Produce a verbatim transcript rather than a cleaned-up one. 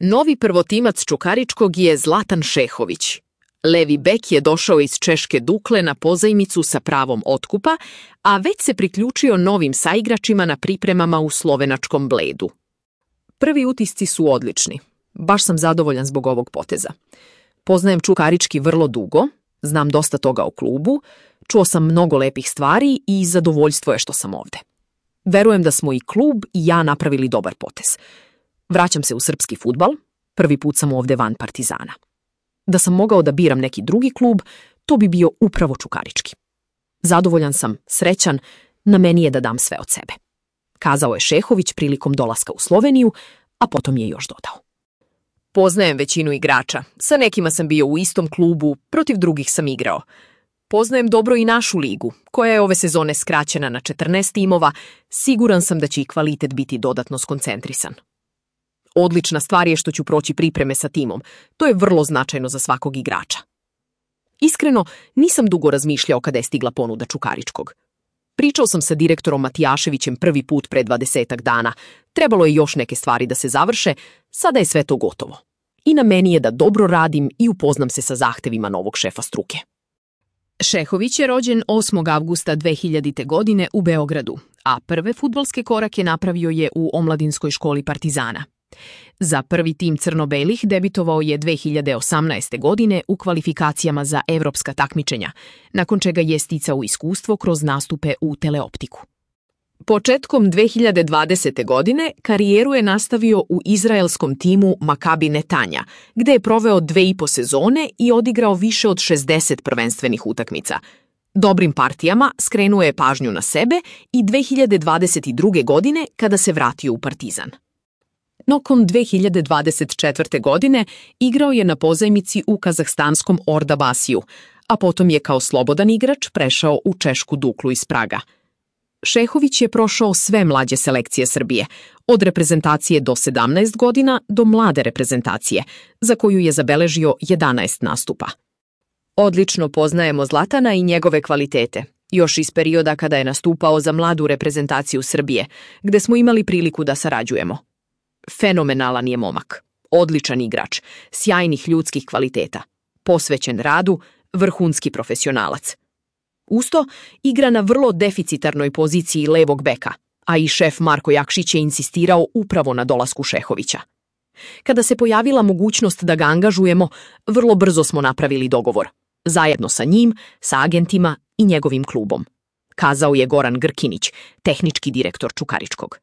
Novi prvotimac Čukaričkog je Zlatan Šehović. Levi bek je došao iz češke Dukle na pozajmicu sa pravom otkupa, a već se priključio novim saigračima na pripremama u slovenačkom Bledu. Prvi utisci su odlični. Baš sam zadovoljan zbog ovog poteza. Poznajem Čukarički vrlo dugo, znam dosta toga o klubu, čuo sam mnogo lepih stvari i zadovoljstvo je što sam ovde. Verujem da smo i klub i ja napravili dobar potez. Vraćam se u srpski fudbal, prvi put sam ovde van Partizana. Da sam mogao da biram neki drugi klub, to bi bio upravo Čukarički. Zadovoljan sam, srećan, na meni je da dam sve od sebe. Kazao je Šehović prilikom dolaska u Sloveniju, a potom je još dodao. Poznajem većinu igrača, sa nekima sam bio u istom klubu, protiv drugih sam igrao. Poznajem dobro i našu ligu, koja je ove sezone skraćena na četrnaest timova, siguran sam da će i kvalitet biti dodatno skoncentrisan. Odlična stvar je što ću proći pripreme sa timom, to je vrlo značajno za svakog igrača. Iskreno, nisam dugo razmišljao kada je stigla ponuda Čukaričkog. Pričao sam sa direktorom Matijaševićem prvi put pre dvadesetak dana, trebalo je još neke stvari da se završe, sada je sve to gotovo. I na meni je da dobro radim i upoznam se sa zahtevima novog šefa struke. Šehović je rođen osmog avgusta dve hiljadite. godine u Beogradu, a prve fudbalske korake napravio je u omladinskoj školi Partizana. Za prvi tim crno-belih debitovao je dve hiljade osamnaeste. godine u kvalifikacijama za evropska takmičenja, nakon čega je sticao iskustvo kroz nastupe u teleoptiku. Početkom dve hiljade dvadesete. godine karijeru je nastavio u izraelskom timu Makabi Netanja, gde je proveo dve i po sezone i odigrao više od šezdeset prvenstvenih utakmica. Dobrim partijama skrenuo je pažnju na sebe i dve hiljade dvadeset druge. godine kada se vratio u Partizan. Nakon dve hiljade dvadeset četvrte. godine igrao je na pozajmici u kazahstanskom Ordabasiju, a potom je kao slobodan igrač prešao u češku Duklu iz Praga. Šehović je prošao sve mlađe selekcije Srbije, od reprezentacije do sedamnaest godina do mlade reprezentacije, za koju je zabeležio jedanaest nastupa. Odlično poznajemo Zlatana i njegove kvalitete, još iz perioda kada je nastupao za mladu reprezentaciju Srbije, gde smo imali priliku da sarađujemo. Fenomenalan je momak, odličan igrač, sjajnih ljudskih kvaliteta, posvećen radu, vrhunski profesionalac. Usto, igra na vrlo deficitarnoj poziciji levog beka, a i šef Marko Jakšić je insistirao upravo na dolasku Šehovića. Kada se pojavila mogućnost da ga angažujemo, vrlo brzo smo napravili dogovor, zajedno sa njim, sa agentima i njegovim klubom, kazao je Goran Grkinić, tehnički direktor Čukaričkog.